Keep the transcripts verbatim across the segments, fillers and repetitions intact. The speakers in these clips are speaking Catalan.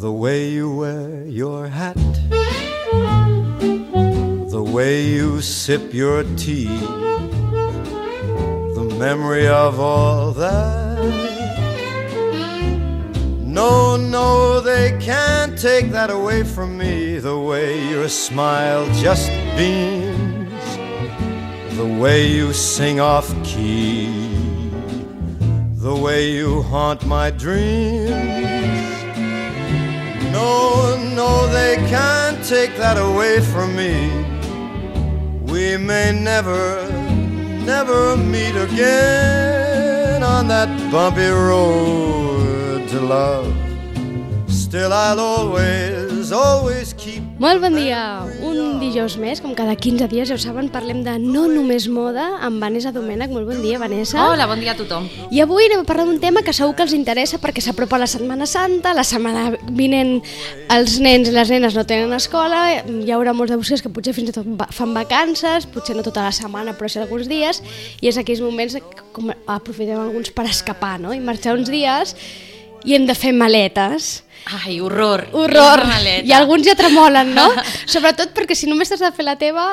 The way you wear your hat, the way you sip your tea, the memory of all that. No, no, they can't take that away from me. The way your smile just beams, the way you sing off key, the way you haunt my dreams. No, no, they can't take that away from me. We may never, never meet again on that bumpy road to love. Still I'll always, always keep... Molt bon dia, un dijous més, com cada quinze dies, ja ho saben, parlem de No Només Moda amb Vanessa Domènech. Molt bon dia, Vanessa. Hola, bon dia a tothom. I avui anem a parlar d'un tema que segur que els interessa perquè s'apropa la Setmana Santa, la setmana vinent els nens i les nenes no tenen escola, hi haurà molts de vostès que potser fins i tot fan vacances, potser no tota la setmana però sí alguns dies, i és aquells moments com aprofitem alguns per escapar, no? I marxar uns dies i hem de fer maletes. Ai, horror. Horror. I alguns ja tremolen, no? Sobretot perquè si només t'has de fer la teva,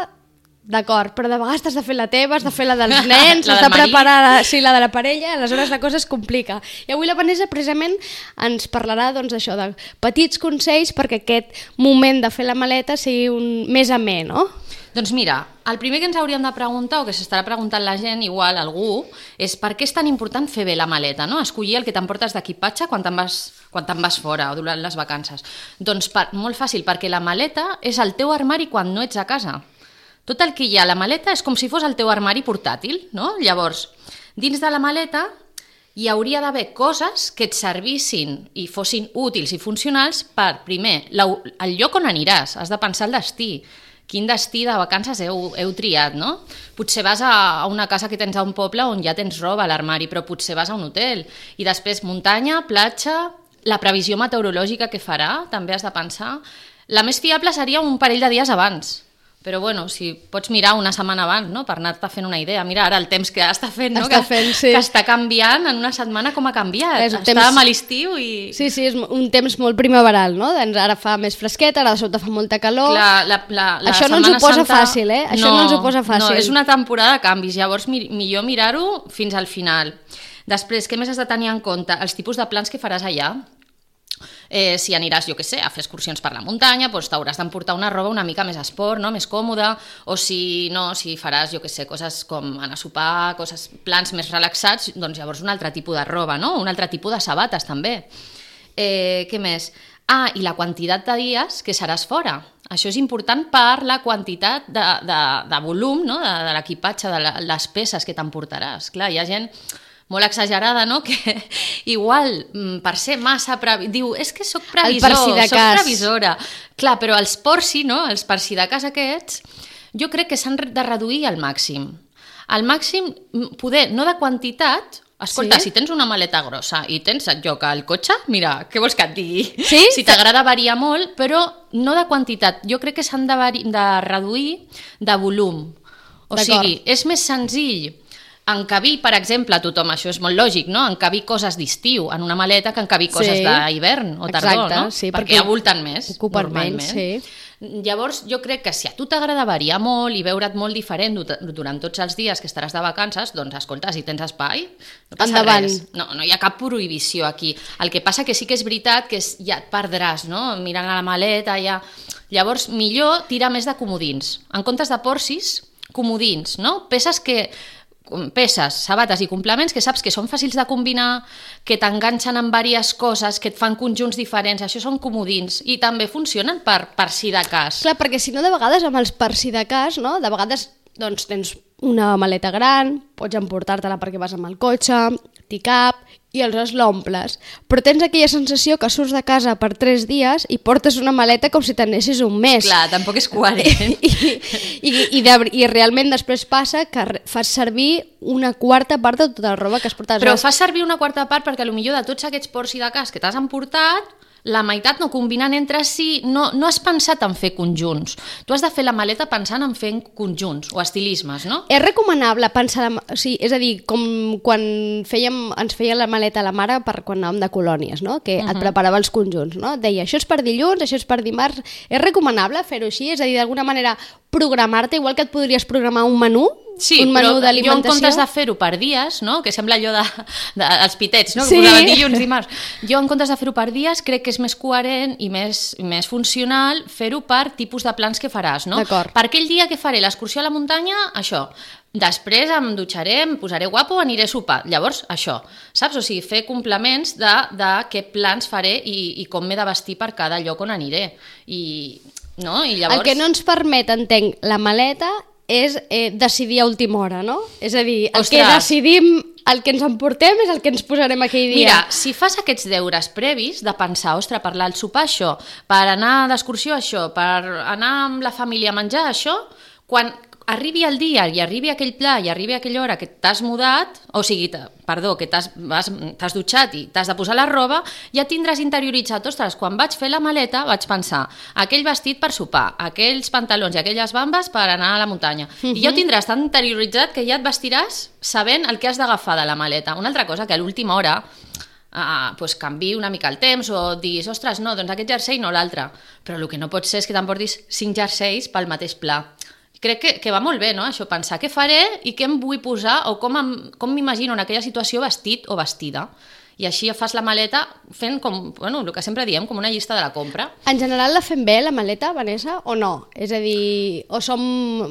d'acord, però de vegades t'has de fer la teva, has de fer la dels nens, has de preparar la, sí, la de la parella, aleshores la cosa es complica. I avui la Vanessa precisament ens parlarà doncs, això de petits consells perquè aquest moment de fer la maleta sigui un més amè, no? Doncs mira, el primer que ens hauríem de preguntar, o que s'estarà preguntant la gent, igual algú, és per què és tan important fer bé la maleta, no? Escollir el que t'emportes d'equipatge quan te'n vas, quan te'n vas fora o durant les vacances. Doncs per, molt fàcil, perquè la maleta és el teu armari quan no ets a casa. Tot el que hi ha a la maleta és com si fos el teu armari portàtil, no? Llavors, dins de la maleta hi hauria d'haver coses que et servissin i fossin útils i funcionals per, primer, el lloc on aniràs, has de pensar el destí. Quin destí de vacances heu, heu triat, no? Potser vas a una casa que tens a un poble on ja tens roba a l'armari, però potser vas a un hotel. I després muntanya, platja, la previsió meteorològica que farà, també has de pensar. La més fiable seria un parell de dies abans. Però bueno, si pots mirar una setmana abans, no? Per anar-te fent una idea. Mira ara el temps que està fent, no? Està que, fent, sí. Que està canviant en una setmana com ha canviat. És Estàvem temps... a l'estiu i... Sí, sí, és un temps molt primaveral, no? Doncs ara fa més fresquet, ara de sobte fa molta calor. Clar, la, la, la Això no ens ho posa Santa... fàcil, eh? Això no, no ens ho posa fàcil. No, és una temporada de canvis, llavors mi, millor mirar-ho fins al final. Després, què més has de tenir en compte? Els tipus de plans que faràs allà. Eh, si aniràs, jo què sé, a fer excursions per la muntanya, doncs t'hauràs d'emportar una roba una mica més esport, no? Més còmoda, o si no, si faràs, jo què sé, coses com anar a sopar, coses, plans més relaxats, doncs llavors un altre tipus de roba, no? Un altre tipus de sabates també. Eh, què més? Ah, i la quantitat de dies que seràs fora. Això és important per la quantitat de, de, de volum, no? de, de l'equipatge, de les peces que t'emportaràs. Clar, hi ha gent molt exagerada, no? Que igual, per ser massa... Previ... Diu, és que soc previsor, si soc previsora. Clar, però els porci, no? Els per si de cas aquests, jo crec que s'han de reduir al màxim. Al màxim, poder, no de quantitat... Escolta, sí? Si tens una maleta grossa i tens et lloc al cotxe, mira, què vols que et digui? Sí? Si t'agrada variar molt, però no de quantitat. Jo crec que s'han de, de reduir de volum. O sigui, és més senzill encabir, per exemple, a tothom, això és molt lògic, no? Encabir coses d'estiu en una maleta que encabir coses sí, d'hivern o tardor, exacte, no? Sí, perquè, perquè avulten més, ocupen normalment. Menys, sí. Llavors, jo crec que si a tu t'agrada variar molt i veure't molt diferent durant tots els dies que estaràs de vacances, doncs, escolta, si tens espai, no passa endavant. Res. No, no hi ha cap prohibició aquí. El que passa que sí que és veritat que ja et perdràs, no? Mirant a la maleta, ja... Llavors, millor tirar més de comodins. En comptes de porcis, comodins, no? Peces que... peces, sabates i complements que saps que són fàcils de combinar, que t'enganxen amb diverses coses, que et fan conjunts diferents, això són comodins i també funcionen per, per si de cas. Clar, perquè si no de vegades amb els per si de cas, no? De vegades doncs, tens una maleta gran, pots emportar-te-la perquè vas amb el cotxe, t'hi cap i aleshores l'omples. Però tens aquella sensació que surts de casa per tres dies i portes una maleta com si t'anessis un mes. Clar, tampoc és coherent. I, i, i, de, I realment després passa que fas servir una quarta part de tota la roba que has portat. Però fas servir una quarta part perquè potser de tots aquests ports i de cas que t'has emportat, la meitat no combinen entre si, no, no has pensat en fer conjunts. Tu has de fer la maleta pensant en fer conjunts o estilismes, no? És recomanable pensar... La, o sigui, és a dir, com quan fèiem, ens feia la maleta la mare per quan anàvem de colònies, no? Que uh -huh. et preparava els conjunts, no? Et deia, això és per dilluns, això és per dimarts... És recomanable fer-ho així? És a dir, d'alguna manera programar-te, igual que et podries programar un menú? Sí, un menú però jo en comptes de d'alimentació? fer-ho per dies, no? Que sembla allò de, de, els pitets, no? Sí. Que posaven dilluns, dimarts. Jo en comptes de fer-ho per dies crec que és més coherent i més, més funcional fer-ho per tipus de plans que faràs, no? D'acord. Per aquell dia que faré l'excursió a la muntanya, això. Després em dutxaré, em posaré guapo, aniré a sopar. Llavors, això, saps? O sigui, fer complements de, de què plans faré i, i com m'he de vestir per cada lloc on aniré. I, no? I llavors... El que no ens permet, entenc, la maleta és eh, decidir a última hora, no? És a dir, el Ostres. que decidim, el que ens emportem és el que ens posarem aquell dia. Mira, si fas aquests deures previs de pensar, ostres, per al sopar això, per anar d'excursió això, per anar amb la família a menjar això, quan arribi el dia i arribi aquell pla i arribi aquella hora que t'has mudat, o sigui, perdó, que t'has t'has dutxat i t'has de posar la roba, ja tindràs interioritzat, ostres, quan vaig fer la maleta vaig pensar, aquell vestit per sopar, aquells pantalons i aquelles bambes per anar a la muntanya. Uh-huh. I ja ho tindràs tan interioritzat que ja et vestiràs sabent el que has d'agafar de la maleta. Una altra cosa, que a l'última hora Uh, pues canvi una mica el temps o diguis, ostres, no, doncs aquest jersei no l'altre. Però el que no pot ser és que t'emportis cinc jerseis pel mateix pla. Crec que, que va molt bé, no?, això, pensar què faré i què em vull posar o com, em, com m'imagino en aquella situació vestit o vestida. I així fas la maleta fent com, bueno, el que sempre diem, com una llista de la compra. En general la fem bé, la maleta, Vanessa, o no? És a dir, o som,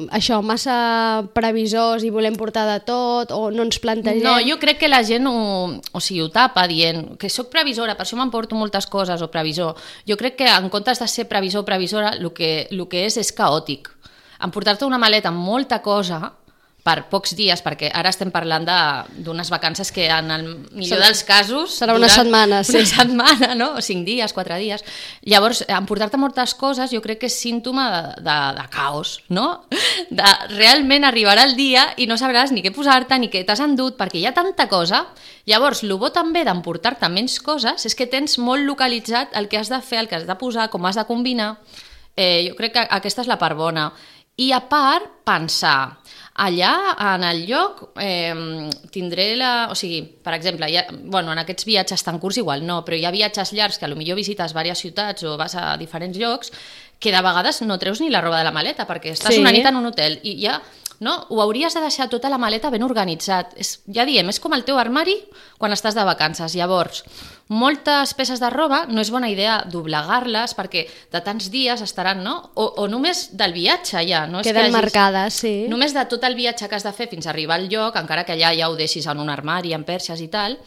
això, massa previsors i volem portar de tot, o no ens plantegem... No, jo crec que la gent ho, o sigui, ho tapa dient que sóc previsora, per això m'emporto moltes coses, o previsor. Jo crec que en comptes de ser previsor o previsora, el que, el que és és caòtic. Emportar-te una maleta amb molta cosa per pocs dies, perquè ara estem parlant d'unes vacances que en el millor Serà, dels casos... Serà una setmana, sí. Una setmana, no? O cinc dies, quatre dies. Llavors, emportar-te moltes coses jo crec que és símptoma de, de, de caos, no? De, realment arribarà el dia i no sabràs ni què posar-te, ni què t'has endut, perquè hi ha tanta cosa. Llavors, el bo també d'emportar-te menys coses és que tens molt localitzat el que has de fer, el que has de posar, com has de combinar. Eh, jo crec que aquesta és la part bona. I a part, pensar, allà, en el lloc, eh, tindré la... O sigui, per exemple, ha, bueno, en aquests viatges tan curts igual no, però hi ha viatges llargs que potser visites diverses ciutats o vas a diferents llocs que de vegades no treus ni la roba de la maleta perquè estàs sí. una nit en un hotel i ja... No? Ho hauries de deixar tota la maleta ben organitzat. És, ja diem, és com el teu armari quan estàs de vacances. Llavors, moltes peces de roba no és bona idea doblegar-les perquè de tants dies estaran, no? O, o només del viatge ja. No és Queden que hagis, marcades, sí. Només de tot el viatge que has de fer fins a arribar al lloc, encara que allà ja ho deixis en un armari, en perxes i tal,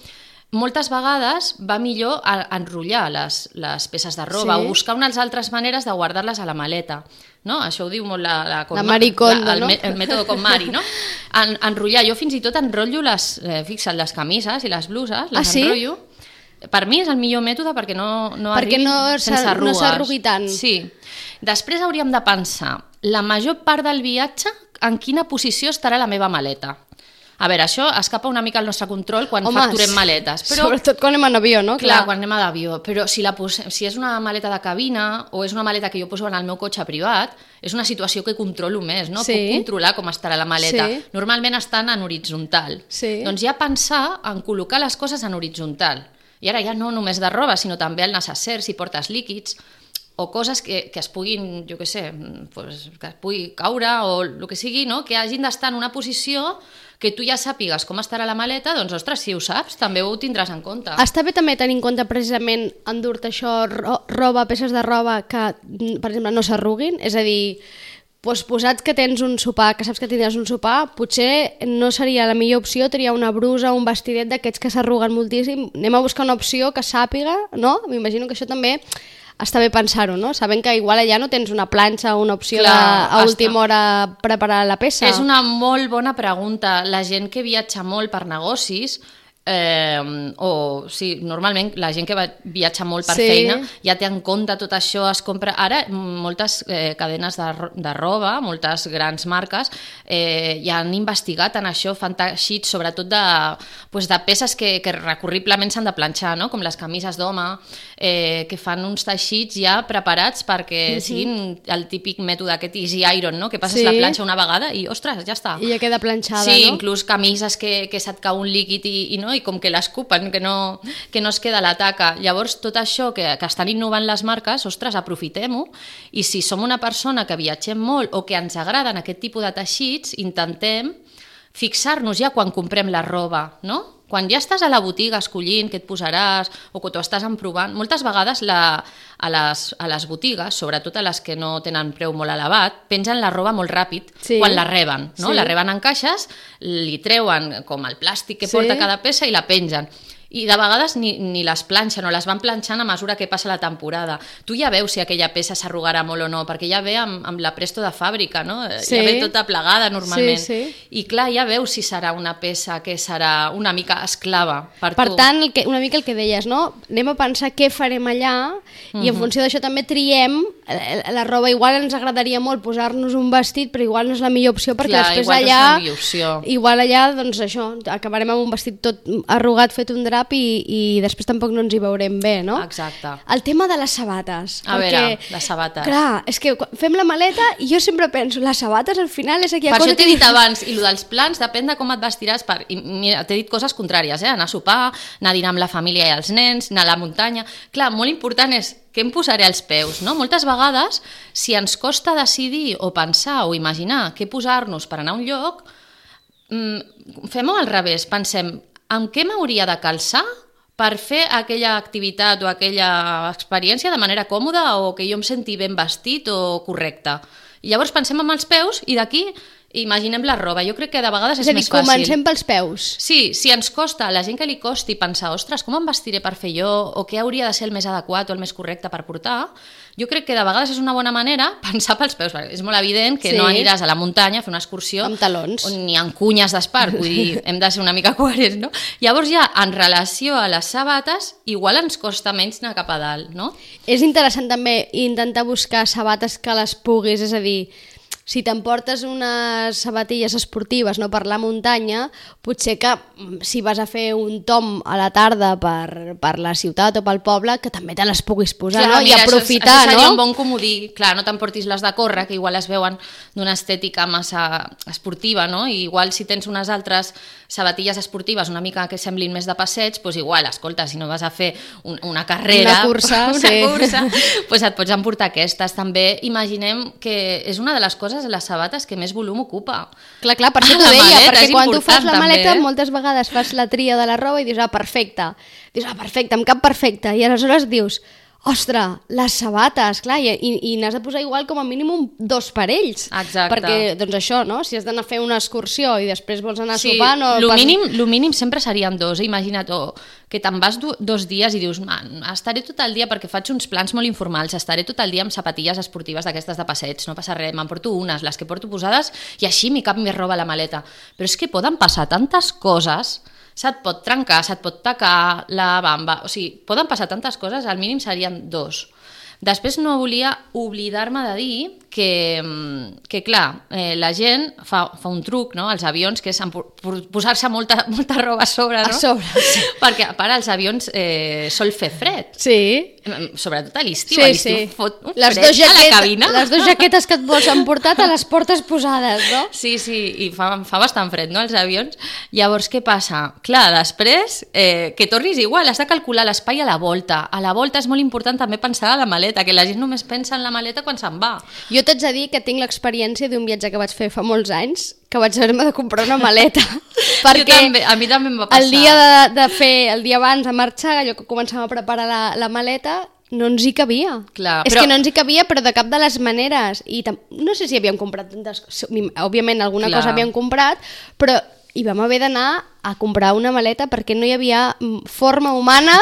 moltes vegades va millor enrotllar les, les peces de roba sí. o buscar unes altres maneres de guardar-les a la maleta. No? Això ho diu molt la... La, la Marie Kondo, la, el, no? el mètode com Mari, no? En, enrotllar. Jo fins i tot enrotllo les... Eh, fixa't, les camises i les bluses, les ah, sí? enrotllo. Per mi és el millor mètode perquè no, no perquè arribi no sense arrugues. No s'arrugui tant. Sí. Després hauríem de pensar la major part del viatge en quina posició estarà la meva maleta. A veure, això escapa una mica al nostre control quan Home, facturem maletes. Però, sobretot quan anem en avió, no? Clar, clar quan anem a l'avió. Però si, la posem, si és una maleta de cabina o és una maleta que jo poso en el meu cotxe privat, és una situació que controlo més, no? Sí. Puc controlar com estarà la maleta. Sí. Normalment estan en horitzontal. Sí. Doncs ja pensar en col·locar les coses en horitzontal. I ara ja no només de roba, sinó també el necesser, si portes líquids, o coses que, que es puguin, jo què sé, pues, que es pugui caure o el que sigui, no? Que hagin d'estar en una posició que tu ja sàpigues com estarà la maleta, doncs, ostres, si ho saps, també ho tindràs en compte. Està bé també tenir en compte precisament endur-te això, roba, peces de roba que, per exemple, no s'arruguin, és a dir, doncs posats que tens un sopar, que saps que tindràs un sopar, potser no seria la millor opció triar una brusa o un vestidet d'aquests que s'arruguen moltíssim. Anem a buscar una opció que sàpiga, no? M'imagino que això també està bé pensar-ho, no? Sabent que igual allà no tens una planxa o una opció Clar, de, a última hora preparar la peça. És una molt bona pregunta. La gent que viatja molt per negocis Eh, o sí, normalment la gent que va, viatja molt per sí. feina ja té en compte tot això, es compra ara moltes eh, cadenes de, de roba, moltes grans marques eh, ja han investigat en això, fan teixits sobretot de, pues, de peces que, que recurriblement s'han de planxar, no? Com les camises d'home, eh, que fan uns teixits ja preparats perquè mm-hmm. siguin el típic mètode aquest easy iron, no? Que passes sí. la planxa una vegada i ostres, ja està, i ja queda planxada, sí, no? Inclús camises que, que se't cau un líquid i, i no i com que l'escupen, que no, que no es queda la taca. Llavors, tot això que, que estan innovant les marques, ostres, aprofitem-ho, i si som una persona que viatgem molt o que ens agraden aquest tipus de teixits, intentem fixar-nos ja quan comprem la roba, no? Quan ja estàs a la botiga escollint què et posaràs o que t'ho estàs emprovant, moltes vegades la, a, les, a les botigues, sobretot a les que no tenen preu molt elevat, pengen la roba molt ràpid sí. quan la reben, no? Sí. La reben en caixes, li treuen com el plàstic que sí. porta cada peça i la pengen. I de vegades ni, ni les planxen o les van planxant a mesura que passa la temporada. Tu ja veus si aquella peça s'arrugarà molt o no, perquè ja ve amb, amb la presto de fàbrica, no? Sí. Ja ve tota plegada normalment. Sí, sí. I clar, ja veus si serà una peça que serà una mica esclava per, per tu. Per tant, el que, una mica el que deies, no? Anem a pensar què farem allà mm-hmm. i en funció d'això també triem la, la roba. Igual ens agradaria molt posar-nos un vestit, però igual no és la millor opció perquè clar, després igual allà... No és la millor opció. Igual allà, doncs això, acabarem amb un vestit tot arrugat, fet un drap i, i després tampoc no ens hi veurem bé, no? Exacte. El tema de les sabates. A perquè, veure, les sabates. Clar, és que fem la maleta i jo sempre penso, les sabates al final és aquella per cosa... Per això t'he dit abans, i el dels plans depèn de com et vestiràs. Per... I mira, t'he dit coses contràries, eh? Anar a sopar, anar a dinar amb la família i els nens, anar a la muntanya... Clar, molt important és què em posaré als peus, no? Moltes vegades, si ens costa decidir o pensar o imaginar què posar-nos per anar a un lloc, mmm, fem-ho al revés, pensem en què m'hauria de calçar per fer aquella activitat o aquella experiència de manera còmoda o que jo em senti ben vestit o correcte. I llavors pensem en els peus i d'aquí imaginem la roba. Jo crec que de vegades és, és dir, més fàcil. És a dir, comencem pels peus. Sí, si ens costa, a la gent que li costi pensar, ostres, com em vestiré per fer jo o què hauria de ser el més adequat o el més correcte per portar, jo crec que de vegades és una bona manera pensar pels peus. És molt evident que sí. no aniràs a la muntanya a fer una excursió amb talons on ni amb cunyes d'espart, vull dir, hem de ser una mica coherents, no? Llavors ja, en relació a les sabates, igual ens costa menys anar cap a dalt, no? És interessant també intentar buscar sabates que les puguis, és a dir, si t'emportes unes sabatilles esportives no per la muntanya, potser que si vas a fer un tom a la tarda per, per la ciutat o pel poble, que també te les puguis posar, clar, no? Mira, i aprofitar, això, això seria no? un bon comodí. Clar, no t'emportis les de córrer, que igual es veuen d'una estètica massa esportiva, no? I igual si tens unes altres sabatilles esportives una mica que semblin més de passeig, doncs igual, escolta, si no vas a fer un, una carrera, una cursa, una sí. cursa doncs et pots emportar aquestes. També imaginem que és una de les coses, les sabates, que més volum ocupa. Clar, clar, per això t'ho deia, maleta, perquè quan tu fas la maleta també, eh? moltes vegades fas la tria de la roba i dius, ah, perfecte, dius, ah, perfecte, em cap perfecte, i aleshores dius, ostres, les sabates, clar, i, i, i n'has de posar igual com a mínim un, dos parells. Exacte. Perquè, doncs això, no? Si has d'anar a fer una excursió i després vols anar sí, a sopar... No, lo, pas... mínim, lo mínim sempre serien dos, eh? Imagina't, oh, que te'n vas do, dos dies i dius, man, estaré tot el dia, perquè faig uns plans molt informals, estaré tot el dia amb sapatilles esportives d'aquestes de passeig, no passa res, me'n porto unes, les que porto posades, i així m'hi cap més roba a la maleta. Però és que poden passar tantes coses... Se't pot trencar, se't pot tacar la bamba, o sigui, poden passar tantes coses, al mínim serien dos. Després no volia oblidar-me de dir que, que clar, eh, la gent fa, fa un truc, no?, als avions, que és posar-se molta, molta roba a sobre, no? A sobre, sí. Perquè, a part, als avions eh, sol fer fred. Sí. Sobretot a l'estiu, sí, a l'estiu sí. fot un les fred jaquet, a la cabina. Les dues jaquetes que et vols emportar te les portes posades, no? Sí, sí, i fa, fa bastant fred, no?, als avions. Llavors, què passa? Clar, després, eh, que tornis igual, has de calcular l'espai a la volta. A la volta és molt important també pensar a la maleta, que la gent només pensa en la maleta quan se'n va. Jo t'haig de dir que tinc l'experiència d'un viatge que vaig fer fa molts anys, que vaig haver-me de comprar una maleta. Perquè també, a mi també em va passar. El dia de, de fer, el dia abans de marxar, allò que començàvem a preparar la, la maleta, no ens hi cabia. Clar, és però... que no ens hi cabia, però de cap de les maneres. I no sé si havíem comprat tantes coses, òbviament alguna Clar. cosa havíem comprat, però hi vam haver d'anar a comprar una maleta perquè no hi havia forma humana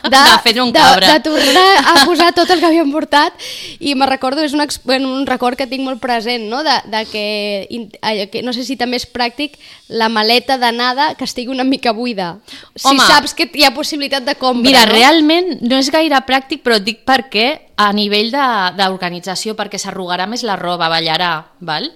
de, de fer un de, cabra. de tornar a posar tot el que havíem portat, i me recordo, és un, bueno, un record que tinc molt present, no? De, de que, que no sé si també és pràctic la maleta d'anada que estigui una mica buida. Si Home, saps que hi ha possibilitat de compra. Mira, no? realment no és gaire pràctic, però et dic perquè a nivell d'organització, perquè s'arrugarà més la roba, ballarà, val?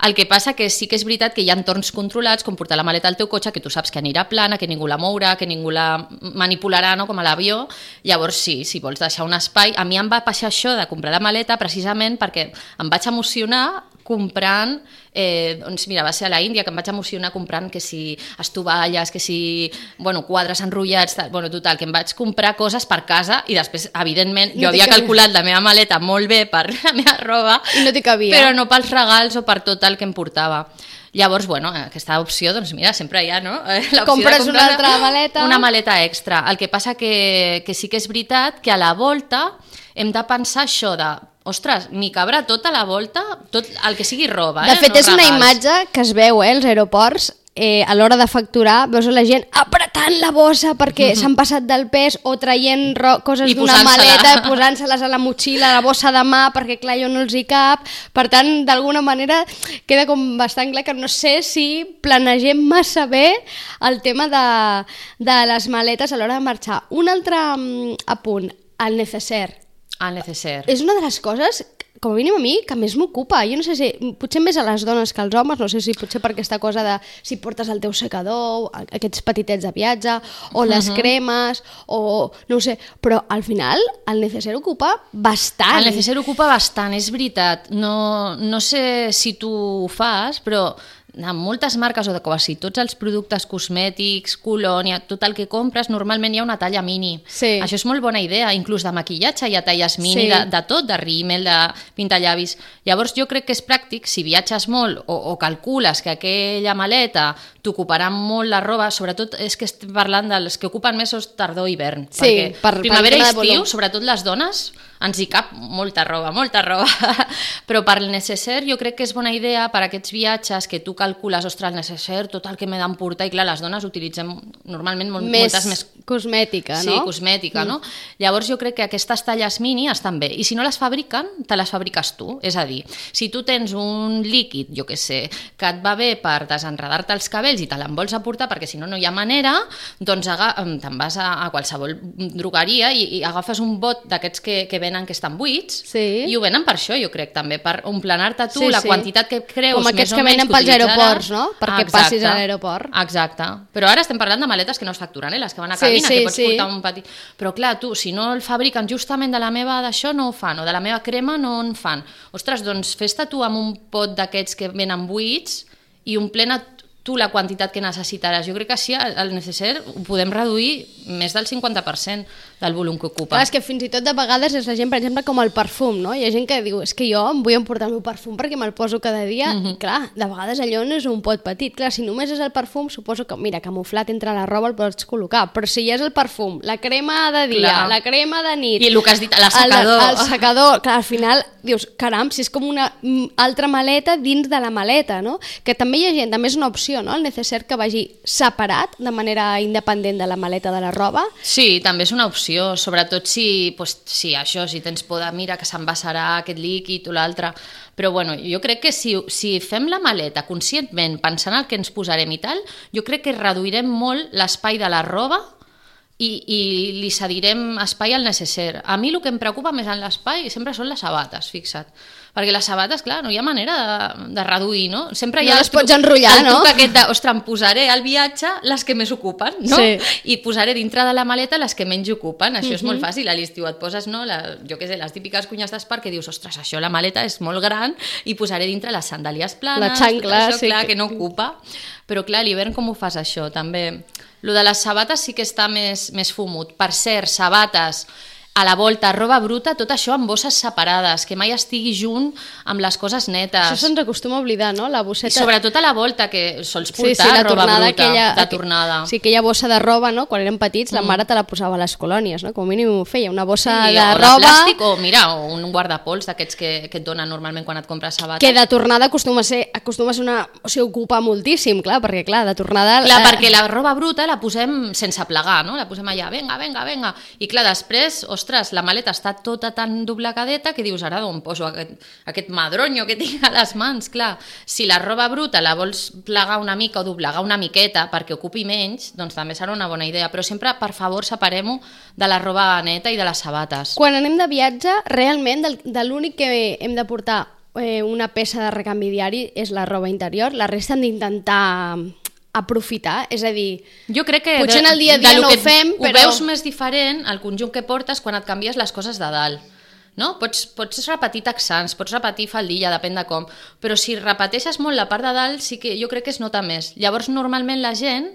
El que passa que sí que és veritat que hi ha entorns controlats, com portar la maleta al teu cotxe, que tu saps que anirà plana, que ningú la mourà, que ningú la manipularà, no? Com a l'avió. Llavors sí, si vols deixar un espai... A mi em va passar això de comprar la maleta precisament perquè em vaig emocionar comprant, eh, doncs mira, va ser a la Índia que em vaig emocionar comprant que si estovalles, que si bueno, quadres enrotllats, tal, bueno, total, que em vaig comprar coses per casa i després, evidentment, jo no havia calculat la meva maleta molt bé per la meva roba, i no t'hi cabia. Però no pels regals o per tot el que em portava. Llavors, bueno, aquesta opció, doncs mira, sempre hi ha, no? Compres una altra maleta. Una maleta extra. El que passa que, que sí que és veritat que a la volta hem de pensar això de ostres, m'hi cabrà tota la volta, tot el que sigui roba. De eh? fet, no és una regals. imatge que es veu, eh, als aeroports, eh, a l'hora de facturar, veus la gent apretant la bossa perquè mm-hmm. s'han passat del pes o traient coses d'una maleta i posant-se-les a la motxilla, a la bossa de mà, perquè clar, jo no els hi cap. Per tant, d'alguna manera queda com bastant clar que no sé si planegem massa bé el tema de, de les maletes a l'hora de marxar. Un altre um, apunt, el necessaire. El necessaire. És una de les coses, com a mínim a mi, que més m'ocupa. Jo no sé si, potser més a les dones que als homes, no sé si potser per aquesta cosa de si portes el teu secador, aquests petitets de viatge, o les uh-huh. cremes, o no ho sé, però al final el necessaire ocupa bastant. El necessaire ocupa bastant, és veritat. No, no sé si tu ho fas, però en moltes marques o de quasi tots els productes cosmètics, colònia, tot el que compres, normalment hi ha una talla mini. Sí. Això és molt bona idea, inclús de maquillatge hi ha talles mini, sí. de, de tot, de rímel, de pintallavis. Llavors jo crec que és pràctic, si viatges molt o, o calcules que aquella maleta t'ocuparà molt la roba, sobretot és que estem parlant dels que ocupen més tardor i hivern, sí, perquè per, primavera per i estiu, sobretot les dones, ens hi cap molta roba, molta roba, però per el necessaire jo crec que és bona idea per aquests viatges que tu calcules, ostres, el necessaire, tot el que m'he d'emportar, i clar, les dones utilitzem normalment molt, més moltes més... cosmètica, sí, no? Sí, cosmètica, mm. no? Llavors jo crec que aquestes talles mini estan bé, i si no les fabriquen, te les fabriques tu, és a dir, si tu tens un líquid, jo què sé, que et va bé per desenredar-te els cabells i te l'en vols aportar perquè si no no hi ha manera, doncs te'n vas a, a qualsevol drogueria i, i agafes un bot d'aquests que, que venen que estan buits, sí. i ho venen per això, jo crec, també, per omplenar-te tu sí, la sí. quantitat que creus com més o menys que utilitzaràs. Com aquests que venen pels aeroports, no? Perquè exacte, passis a l'aeroport. Exacte. Però ara estem parlant de maletes que no es facturen, eh? Les que van a cabina, sí, sí, que pots sí. portar un petit... Però clar, tu, si no el fabriquen justament de la meva d'això, no ho fan, o de la meva crema no en fan. Ostres, doncs fes-te tu amb un pot d'aquests que venen buits i omplena tu la quantitat que necessitaràs. Jo crec que així el necessaire ho podem reduir més del cinquanta per cent del volum que ocupa. Clar, és que fins i tot de vegades és la gent, per exemple, com el perfum, no? Hi ha gent que diu, és que jo em vull emportar el meu perfum perquè me'l poso cada dia, mm-hmm. i clar, de vegades allò no és un pot petit. Clar, si només és el perfum, suposo que, mira, camuflat entre la roba el pots col·locar, però si ja és el perfum, la crema de dia, clar. La crema de nit... I el que has dit, l'assecador. El, el secador, clar, al final dius, caram, si és com una altra maleta dins de la maleta, no? Que també hi ha gent, també és una opció, no? El necessaire que vagi separat, de manera independent de la maleta de la roba. Sí, també és una opció, sobretot si, pues, si això, si tens por de, mira, que s'envasarà aquest líquid o l'altre. Però bueno, jo crec que si, si fem la maleta conscientment, pensant el que ens posarem i tal, jo crec que reduirem molt l'espai de la roba i, i li cedirem espai al necessaire. A mi el que em preocupa més en l'espai sempre són les sabates, fixa't. Perquè les sabates, clar, no hi ha manera de, de reduir, no? Sempre hi ha no les pots enrotllar, el no? truc aquest de, ostres, em posaré al viatge les que més ocupen, no? Sí. I posaré dintre de la maleta les que menys ocupen. Això uh-huh. és molt fàcil, a l'estiu et poses, no? La, jo què sé, les típiques cunyes d'espar que dius, ostres, això la maleta és molt gran i posaré dintre les sandàlies planes, la xancla, això, sí, clar, que... que no ocupa. Però clar, a l'hivern com ho fas això? També, lo de les sabates sí que està més, més fumut. Per cert, sabates, a la volta, roba bruta, tot això amb bosses separades, que mai estigui junt amb les coses netes. Això se'ns acostuma a oblidar, no? La bosseta... I sobretot a la volta, que sols portar sí, sí, la roba tornada, bruta, aquella, de tornada. Sí, aquella bossa de roba, no? Quan érem petits, mm. la mare te la posava a les colònies, no? Com a mínim ho feia, una bossa sí, de o roba... de plàstic, o mira, o un guardapols d'aquests que, que et donen normalment quan et compres sabates. Que de tornada acostuma a ser, acostuma a ser una... O sigui, ocupa moltíssim, clar, perquè clar, de tornada... Clar, eh... perquè la roba bruta la posem sense plegar, no? La posem allà, venga, venga, venga. I clar, després, ostres, la maleta està tota tan doblegadeta que dius, ara d'on poso aquest, aquest madronyo que tinc a les mans, clar. Si la roba bruta la vols plegar una mica o doblegar una miqueta perquè ocupi menys, doncs també serà una bona idea. Però sempre, per favor, separem-ho de la roba neta i de les sabates. Quan anem de viatge, realment, de, de l'únic que hem de portar eh, una peça de recanvi diari és la roba interior. La resta hem d'intentar aprofitar, és a dir, jo crec que potser en el dia a dia no ho fem, ho però... Ho veus més diferent el conjunt que portes quan et canvies les coses de dalt. No? Pots, pots repetir texans, pots repetir faldilla, depèn de com, però si repeteixes molt la part de dalt, sí que jo crec que es nota més. Llavors, normalment la gent,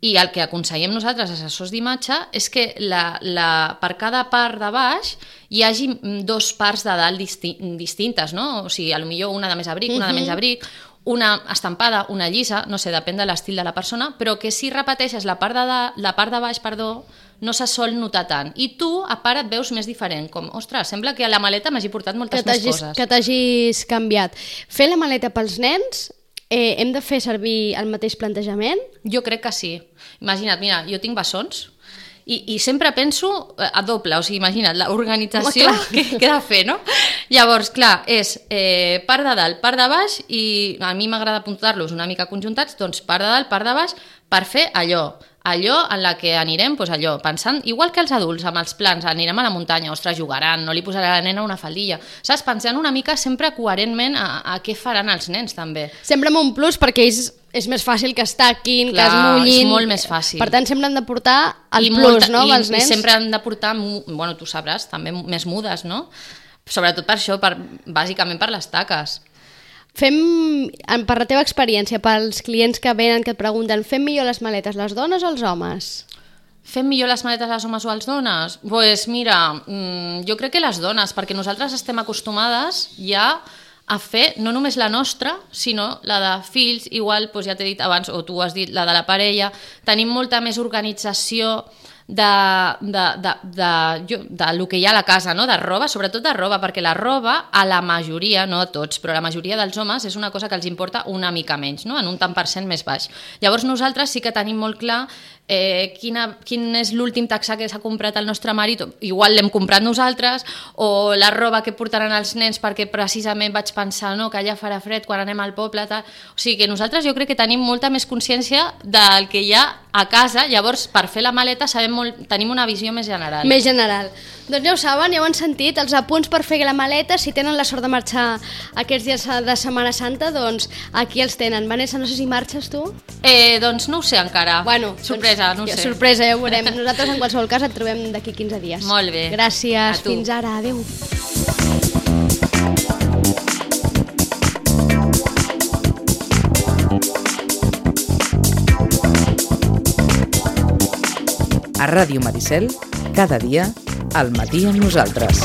i el que aconsellem nosaltres, assessors d'imatge, és que la, la, per cada part de baix hi hagi dos parts de dalt disti distintes, no? O sigui, potser una de més abric, una de menys abric, una estampada, una llisa, no sé, depèn de l'estil de la persona, però que si repeteixes la part de, de, la part de baix, perdó, no se sol notar tant. I tu, a part, et veus més diferent, com, ostres, sembla que a la maleta m'hagi portat moltes més coses. Que t'hagis canviat. Fer la maleta pels nens, eh, hem de fer servir el mateix plantejament? Jo crec que sí. Imagina't, mira, jo tinc bessons, I, i sempre penso a doble, o sigui, imagina't, l'organització que, que he de fer, no? Llavors, clar, és eh, part de dalt, part de baix, i a mi m'agrada apuntar-los una mica conjuntats, doncs part de dalt, part de baix, per fer allò, allò en la que anirem, doncs allò, pensant, igual que els adults, amb els plans, anirem a la muntanya, ostres, jugaran, no li posarà a la nena una faldilla, saps? Pensant una mica sempre coherentment a, a què faran els nens, també. Sempre amb un plus, perquè ells és més fàcil que es taquin, clar, que es mullin... és molt més fàcil. Per tant, sempre han de portar el I plus, molta, no, i, els nens? I sempre han de portar, bueno, tu sabràs, també més mudes, no? Sobretot per això, per, bàsicament per les taques. Fem, per la teva experiència, pels clients que venen, que et pregunten, fem millor les maletes les dones o els homes? Fem millor les maletes les homes o els dones? Doncs pues mira, jo crec que les dones, perquè nosaltres estem acostumades ja a fer no només la nostra, sinó la de fills, igual, doncs ja t'he dit abans, o tu has dit, la de la parella. Tenim molta més organització de, de, de, de, de, de lo que hi ha a la casa, no? De roba, sobretot de roba, perquè la roba, a la majoria, no a tots, però a la majoria dels homes és una cosa que els importa una mica menys, no? En un tant per cent més baix. Llavors nosaltres sí que tenim molt clar eh, quina, quin és l'últim taxà que s'ha comprat el nostre marit, igual l'hem comprat nosaltres, o la roba que portaran els nens perquè precisament vaig pensar no, que allà farà fred quan anem al poble, tal. O sigui que nosaltres jo crec que tenim molta més consciència del que hi ha a casa, llavors per fer la maleta sabem molt, tenim una visió més general. Més general. Doncs ja ho saben, ja ho han sentit, els apunts per fer la maleta, si tenen la sort de marxar aquests dies de Setmana Santa, doncs aquí els tenen. Vanessa, no sé si marxes tu? Eh, doncs no ho sé encara. Bueno, sorpresa, doncs, no ho sé. Sorpresa, ja ho veurem. Nosaltres en qualsevol cas et trobem d'aquí quinze dies. Molt bé. Gràcies, fins ara, adeu. A Ràdio Maricel, cada dia, al matí amb nosaltres.